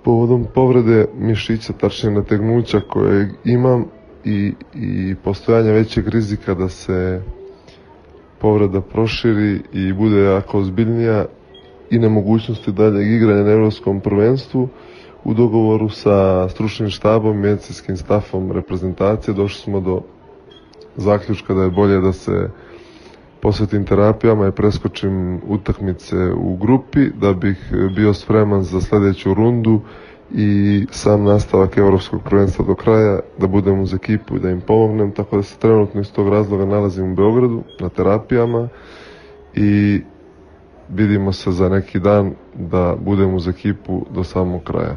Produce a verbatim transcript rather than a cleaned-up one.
Povodom povrede mišića, tačnije nategnuća koje imam i, i postojanja većeg rizika da se povreda proširi i bude jako ozbiljnija i nemogućnosti daljeg igranja na evropskom prvenstvu, u dogovoru sa stručnim štabom i medicinskim stafom reprezentacije došli smo do zaključka da je bolje da se posvetim terapijama i preskočim utakmice u grupi da bih bio spreman za sljedeću rundu i sam nastavak evropskog prvenstva do kraja, da budem uz ekipu i da im pomognem, tako da se trenutno iz tog razloga nalazim u Beogradu na terapijama i vidimo se za neki dan da budem uz ekipu do samog kraja.